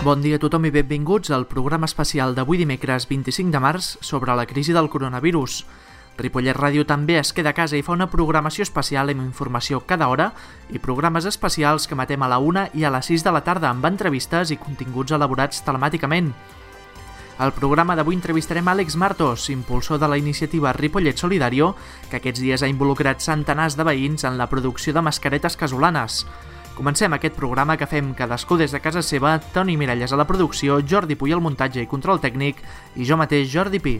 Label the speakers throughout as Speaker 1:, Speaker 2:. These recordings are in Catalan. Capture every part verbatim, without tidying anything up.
Speaker 1: Bon dia a tothom i benvinguts al programa especial d'avui dimecres vint-i-cinc de març sobre la crisi del coronavirus. Ripollet Ràdio també es queda a casa i fa una programació especial amb informació cada hora i programes especials que emetem a la una i a les sis de la tarda amb entrevistes i continguts elaborats telemàticament. Al programa d'avui entrevistarem Àlex Martos, impulsor de la iniciativa Ripollet Solidario, que aquests dies ha involucrat centenars de veïns en la producció de mascaretes casolanes. Comencem aquest programa que fem cadascú des de casa seva, Toni Miralles a la producció, Jordi Puy al muntatge i control tècnic i jo mateix, Jordi Pi.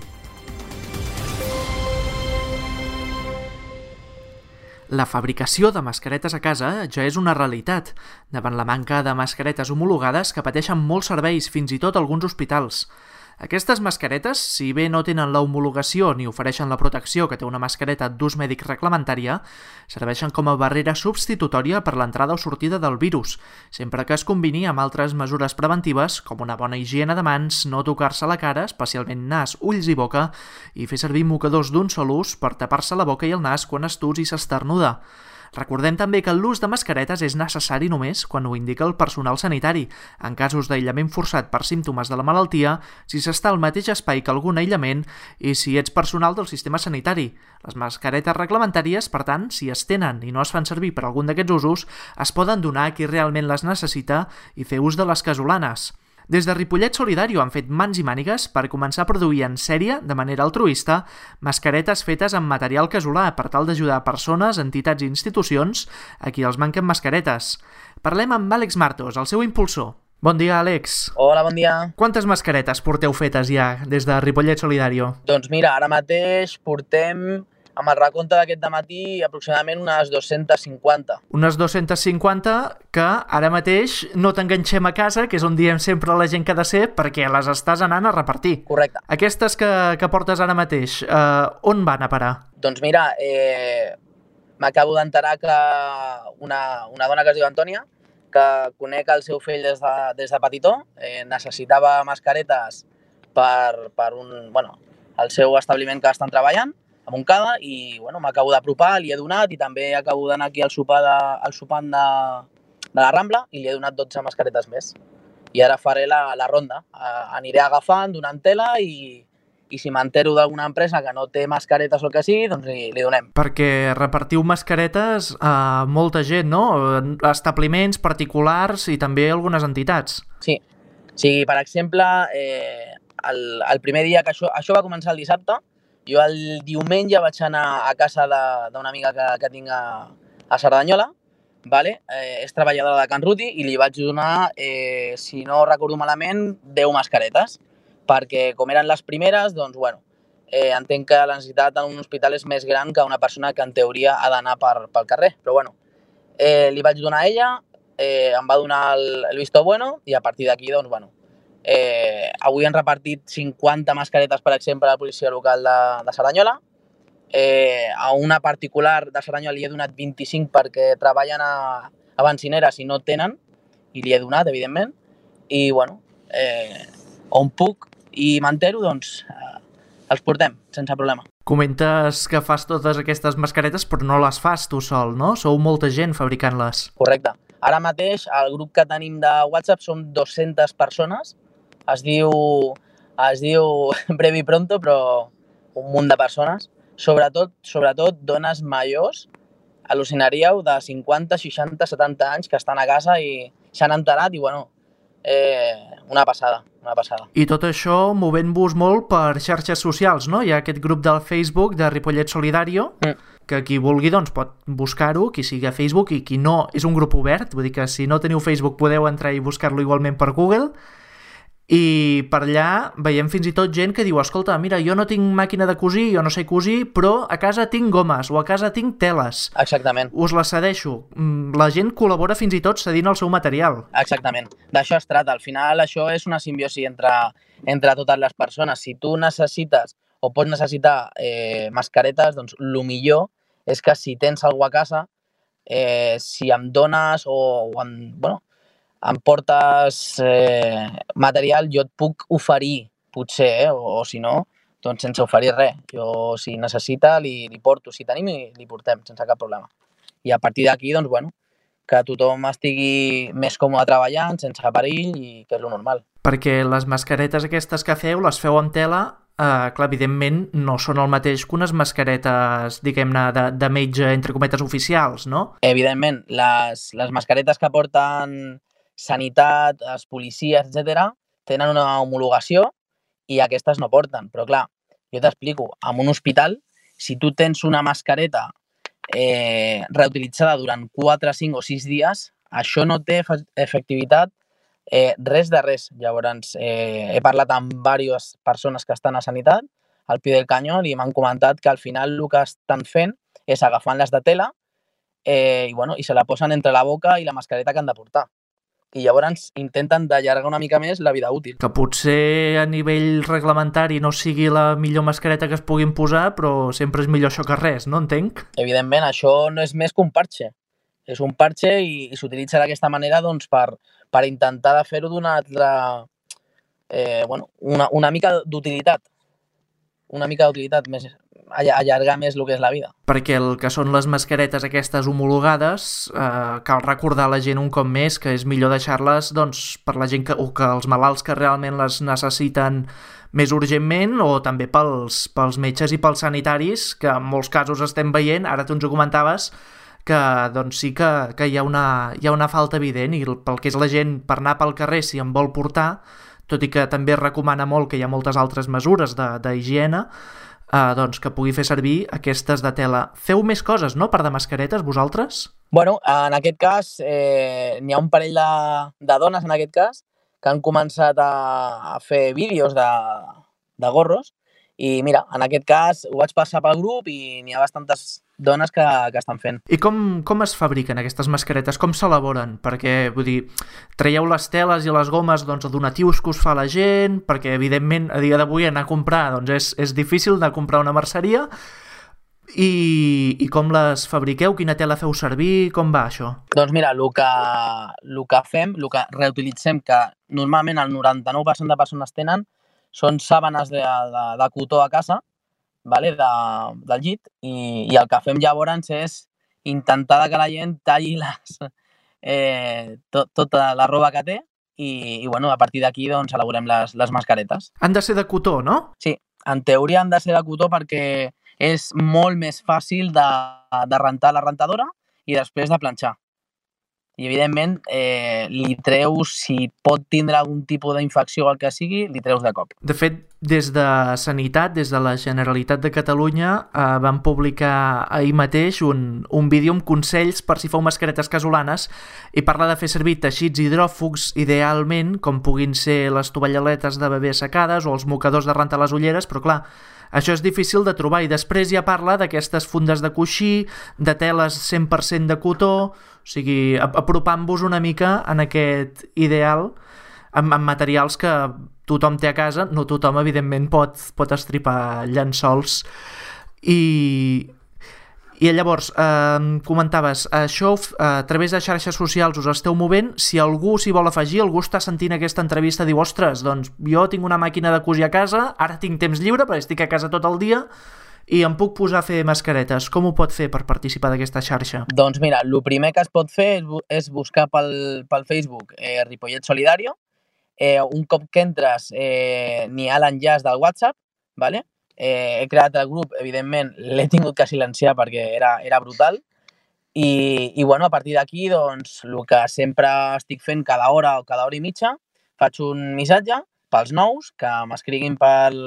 Speaker 1: La fabricació de mascaretes a casa ja és una realitat, davant la manca de mascaretes homologades que pateixen molts serveis, fins i tot alguns hospitals. Aquestes mascaretes, si bé no tenen la homologació ni ofereixen la protecció que té una mascareta d'ús mèdic reglamentària, serveixen com a barrera substitutòria per l'entrada o sortida del virus, sempre que es combini amb altres mesures preventives com una bona higiene de mans, no tocar-se la cara, especialment nas, ulls i boca, i fer servir mocadors d'un sol ús per tapar-se la boca i el nas quan es tus i s'esternuda. Recordem també que l'ús de mascaretes és necessari només quan ho indica el personal sanitari, en casos d'aïllament forçat per símptomes de la malaltia, si s'està al mateix espai que algun aïllament i si ets personal del sistema sanitari. Les mascaretes reglamentàries, per tant, si es tenen i no es fan servir per algun d'aquests usos, es poden donar a qui realment les necessita i fer ús de les casolanes. Des de Ripollet Solidario han fet mans i mànigues per començar a produir en sèrie, de manera altruista, mascaretes fetes amb material casolà per tal d'ajudar persones, entitats i institucions a qui els manquen mascaretes. Parlem amb Àlex Martos, el seu impulsor. Bon dia, Àlex.
Speaker 2: Hola, bon dia.
Speaker 1: Quantes mascaretes porteu fetes ja des de Ripollet Solidario?
Speaker 2: Doncs mira, ara mateix portem, amb el recompte d'aquest dematí, aproximadament unes dos-centes cinquanta.
Speaker 1: Unes dos-centes cinquanta que ara mateix no t'enganxem a casa, que és on diem sempre a la gent que ha de ser, perquè les estàs anant a repartir.
Speaker 2: Correcte.
Speaker 1: Aquestes que, que portes ara mateix, eh, on van a parar?
Speaker 2: Doncs mira, eh, m'acabo d'enterar que una, una dona que es diu Antònia, que conec el seu fill des de, des de petitó, eh, necessitava mascaretes per, per un, bueno, el seu establiment que estan treballant, a Montcada, i bueno, m'acabo d'apropar, li he donat, i també acabo d'anar aquí al sopar, de, al sopar de, de la Rambla i li he donat dotze mascaretes més. I ara faré la, la ronda. Uh, aniré agafant, donant tela i, i si m'entero d'alguna empresa que no té mascaretes o el que sigui, doncs li, li donem.
Speaker 1: Perquè repartiu mascaretes a molta gent, no? A establiments particulars i també algunes entitats.
Speaker 2: Sí. Sí, per exemple, eh, el, el primer dia que això, això va començar el dissabte, jo el diumenge vaig anar a casa d'una amiga que, que tinc a, a Cerdanyola, vale? eh, és treballadora de Can Ruti, i li vaig donar, eh, si no recordo malament, deu mascaretes, perquè com eren les primeres, doncs, bueno, eh, entenc que la necessitat en un hospital és més gran que una persona que en teoria ha d'anar per, pel carrer, però bueno, eh, li vaig donar a ella, eh, em va donar el, el visto bueno, i a partir d'aquí, doncs, bueno, Eh, avui han repartit cinquanta mascaretes, per exemple, a la policia local de, de Cerdanyola. Eh, a una particular de Cerdanyola li he donat vint-i-cinc perquè treballen a, a benzineres i no tenen, i li he donat, evidentment. I, bueno, eh, on puc i m'entero, doncs eh, els portem, sense problema.
Speaker 1: Comentes que fas totes aquestes mascaretes, però no les fas tu sol, no? Sou molta gent fabricant-les.
Speaker 2: Correcte. Ara mateix, el grup que tenim de WhatsApp som dues-centes persones. Es diu, es diu Brevi Pronto, però un munt de persones. Sobretot, sobretot dones majors, al·lucinaríeu, de cinquanta, seixanta, setanta anys, que estan a casa i s'han enterat i, bueno, eh, una passada, una passada.
Speaker 1: I tot això movent-vos molt per xarxes socials, no? Hi ha aquest grup del Facebook de Ripollet Solidario, mm. que qui vulgui doncs, pot buscar-ho, qui sigui a Facebook, i qui no, és un grup obert, vull dir que si no teniu Facebook podeu entrar i buscar-lo igualment per Google. I per allà veiem fins i tot gent que diu, escolta, mira, jo no tinc màquina de cosir, jo no sé cosir, però a casa tinc gomes o a casa tinc teles.
Speaker 2: Exactament.
Speaker 1: Us les cedeixo. La gent col·labora fins i tot cedint el seu material.
Speaker 2: Exactament. D'això es trata. Al final això és una simbiosi entre, entre totes les persones. Si tu necessites o pots necessitar eh, mascaretes, doncs el millor és que si tens alguna a casa, eh, si em dones o, o em, bueno, em portes eh, material, jo et puc oferir, potser, eh, o, o si no, doncs sense oferir res. Jo, si necessita, li, li porto. Si tenim, li portem, sense cap problema. I a partir d'aquí, doncs, bueno, que tothom estigui més còmode treballant, sense perill, i que és lo normal.
Speaker 1: Perquè les mascaretes aquestes que feu, les feu amb tela, eh, clar, evidentment no són el mateix que unes mascaretes, diguem-ne, de, de metge, entre cometes, oficials, no?
Speaker 2: Evidentment, les, les mascaretes que porten sanitat, els policies, etcètera, tenen una homologació i aquestes no porten. Però clar, jo t'explico, en un hospital, si tu tens una mascareta eh, reutilitzada durant quatre, cinc o sis dies, això no té efectivitat eh, res de res. Llavors, eh, he parlat amb diverses persones que estan a sanitat, al pie del canyón, i m'han comentat que al final el que estan fent és agafant-les de tela eh, i, bueno, i se la posen entre la boca i la mascareta que han de portar. I llavors intenten d'allargar una mica més la vida útil.
Speaker 1: Que potser a nivell reglamentari no sigui la millor mascareta que es puguin posar, però sempre és millor això que res, no entenc?
Speaker 2: Evidentment, això no és més que un parche. És un parche i, i s'utilitza d'aquesta manera doncs, per, per intentar de fer-ho d'una altra... Eh, bueno, una, una mica d'utilitat. Una mica d'utilitat més... allargar més el que és la vida.
Speaker 1: Perquè el que són les mascaretes aquestes homologades, eh, cal recordar a la gent un cop més que és millor deixar-les doncs, per la gent que, o que els malalts que realment les necessiten més urgentment, o també pels, pels metges i pels sanitaris, que en molts casos estem veient, ara tu ens ho comentaves, que doncs sí que, que hi, ha una, hi ha una falta evident, i pel que és la gent per anar pel carrer si en vol portar, tot i que també es recomana molt que hi ha moltes altres mesures d'higiene, Uh, doncs que pugui fer servir aquestes de tela. Feu més coses, no?, per de mascaretes, vosaltres?
Speaker 2: Bueno, en aquest cas, eh, n'hi ha un parell de, de dones, en aquest cas, que han començat a, a fer vídeos de, de gorros, i mira, en aquest cas ho vaig passar pel grup i n'hi ha bastantes dones que, que estan fent.
Speaker 1: I com, com es fabriquen aquestes mascaretes? Com s'elaboren? Perquè, vull dir, traieu les teles i les gomes doncs, a donatius que us fa la gent, perquè, evidentment, a dia d'avui anar a comprar doncs, és, és difícil anar a comprar una merceria, i, i com les fabriqueu? Quina tela feu servir? Com va això?
Speaker 2: Doncs mira, el que, el que fem, el que reutilitzem, que normalment el noranta-nou per cent de persones tenen, són sàbanes de, de, de cotó a casa, vale, de, del llit, i, i el que fem llavors és intentar que la gent talli les, eh, tot, tota la roba que té i, i bueno, a partir d'aquí doncs, elaborem les, les mascaretes.
Speaker 1: Han de ser de cotó, no?
Speaker 2: Sí, en teoria han de ser de cotó perquè és molt més fàcil de, de rentar la rentadora i després de planxar. I, evidentment, eh, li treus, si pot tindre algun tipus d'infecció o el que sigui, li treus de cop.
Speaker 1: De fet, des de Sanitat, des de la Generalitat de Catalunya, eh, van publicar ahir mateix un, un vídeo amb consells per si feu mascaretes casolanes i parla de fer servir teixits hidròfugs, idealment, com puguin ser les tovallaletes de bebè assecades o els mocadors de rentar les ulleres, però clar, això és difícil de trobar. I després ja parla d'aquestes fundes de coixí, de teles cent per cent de cotó, o sigui, apropant-vos una mica en aquest ideal amb, amb materials que tothom té a casa. No tothom, evidentment, pot, pot estripar llençols. I, i llavors, eh, comentaves, això a través de xarxes socials us esteu movent. Si algú s'hi vol afegir, algú està sentint aquesta entrevista, diu, ostres, doncs jo tinc una màquina de cosir a casa, ara tinc temps lliure perquè estic a casa tot el dia i em puc posar a fer mascaretes. Com ho pot fer per participar d'aquesta xarxa?
Speaker 2: Doncs mira, el primer que es pot fer és buscar pel, pel Facebook eh, Ripollet Solidario. Eh, un cop que entres eh, n'hi ha l'enllaç del WhatsApp, ¿vale? Eh, he creat el grup, evidentment l'he tingut que silenciar perquè era, era brutal, i, i bueno, a partir d'aquí doncs, el que sempre estic fent cada hora o cada hora i mitja, faig un missatge pels nous que m'escriguin pel,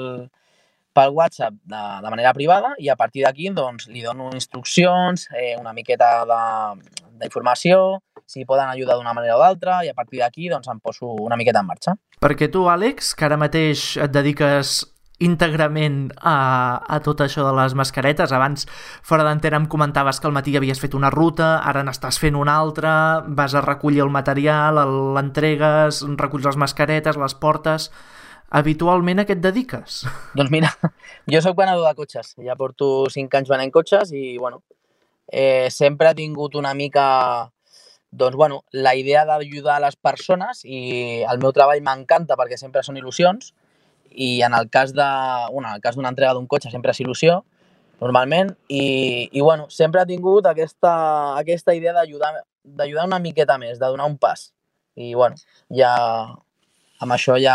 Speaker 2: pel WhatsApp de, de manera privada, i a partir d'aquí doncs, li dono instruccions, eh, una miqueta d'informació, si poden ajudar d'una manera o d'altra, i a partir d'aquí doncs, em poso una miqueta en marxa.
Speaker 1: Perquè tu, Àlex, que ara mateix et dediques íntegrament a, a tot això de les mascaretes, abans fora d'antena em comentaves que al matí havies fet una ruta, ara n'estàs fent una altra, vas a recollir el material, l'entregues, reculls les mascaretes, les portes... Habitualment a què et dediques?
Speaker 2: Doncs mira, jo soc venedor de cotxes, ja porto cinc anys venent cotxes i bueno, eh, sempre he tingut una mica doncs, bueno, la idea d'ajudar les persones, i el meu treball m'encanta perquè sempre són il·lusions, i en el cas de, bueno, en el cas d'una entrega d'un cotxe sempre és il·lusió, normalment, i, i bueno, sempre he tingut aquesta, aquesta idea d'ajudar d'ajudar una miqueta més, de donar un pas. I, bueno, ja amb això ja,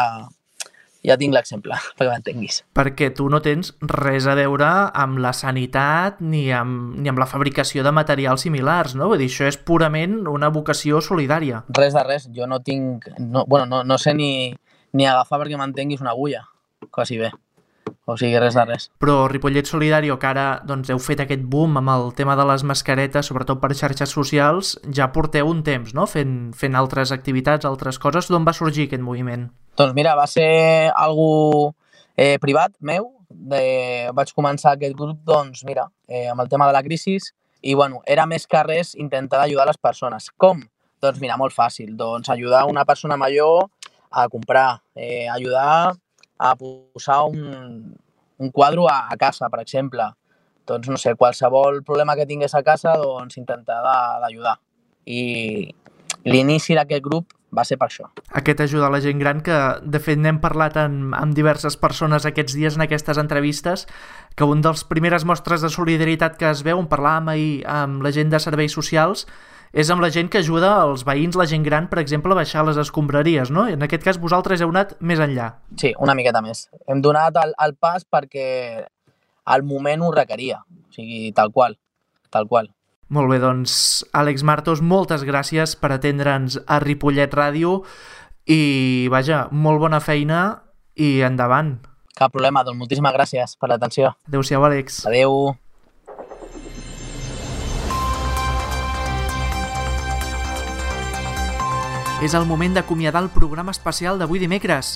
Speaker 2: ja tinc l'exemple, perquè m'entenguis.
Speaker 1: Perquè tu no tens res a veure amb la sanitat ni amb, ni amb la fabricació de materials similars, no? Vull dir, això és purament una vocació solidària.
Speaker 2: Res de res, jo no tinc... No, bueno, no, no sé ni, ni agafar perquè m'entenguis una agulla, quasi bé. O sigui, res de res.
Speaker 1: Però Ripollet Solidario, que ara doncs, heu fet aquest boom amb el tema de les mascaretes, sobretot per xarxes socials, ja porteu un temps, no?, fent, fent altres activitats, altres coses. D'on va sorgir aquest moviment?
Speaker 2: Doncs mira, va ser algú eh, privat meu. De... Vaig començar aquest grup, doncs mira, eh, amb el tema de la crisi, i bueno, era més que res intentar ajudar les persones. Com? Doncs mira, molt fàcil. Doncs ajudar una persona major a comprar, eh, ajudar a posar un, un quadre a, a casa, per exemple. Doncs, no sé, qualsevol problema que tingués a casa, doncs intentar d'ajudar. I l'inici d'aquest grup va ser per això.
Speaker 1: Aquest ajudar la gent gran, que de fet n'hem parlat amb, amb diverses persones aquests dies en aquestes entrevistes, que un dels primeres mostres de solidaritat que es veu, on parlàvem ahir amb la gent de serveis socials, és amb la gent que ajuda els veïns, la gent gran, per exemple, a baixar les escombraries, no? En aquest cas vosaltres heu anat més enllà.
Speaker 2: Sí, una miqueta més. Hem donat el, el pas perquè al moment ho requeria, o sigui, tal qual, tal qual.
Speaker 1: Molt bé, doncs, Àlex Martos, moltes gràcies per atendre'ns a Ripollet Ràdio i, vaja, molt bona feina i endavant.
Speaker 2: Cap problema, doncs moltíssimes gràcies per l'atenció.
Speaker 1: Adéu-siau, Àlex.
Speaker 2: Adéu.
Speaker 1: És el moment d'acomiadar el programa especial d'avui dimecres.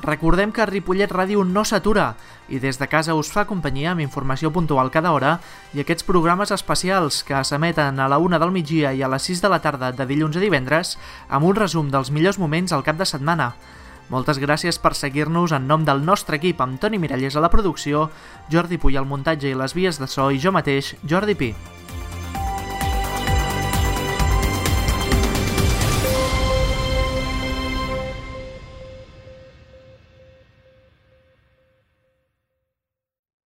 Speaker 1: Recordem que Ripollet Ràdio no s'atura i des de casa us fa companyia amb informació puntual cada hora i aquests programes especials que s'emeten a la una del migdia i a les sis de la tarda de dilluns a divendres amb un resum dels millors moments al cap de setmana. Moltes gràcies per seguir-nos en nom del nostre equip amb Toni Mirallés a la producció, Jordi Puy al muntatge i les vies de so i jo mateix, Jordi Pi.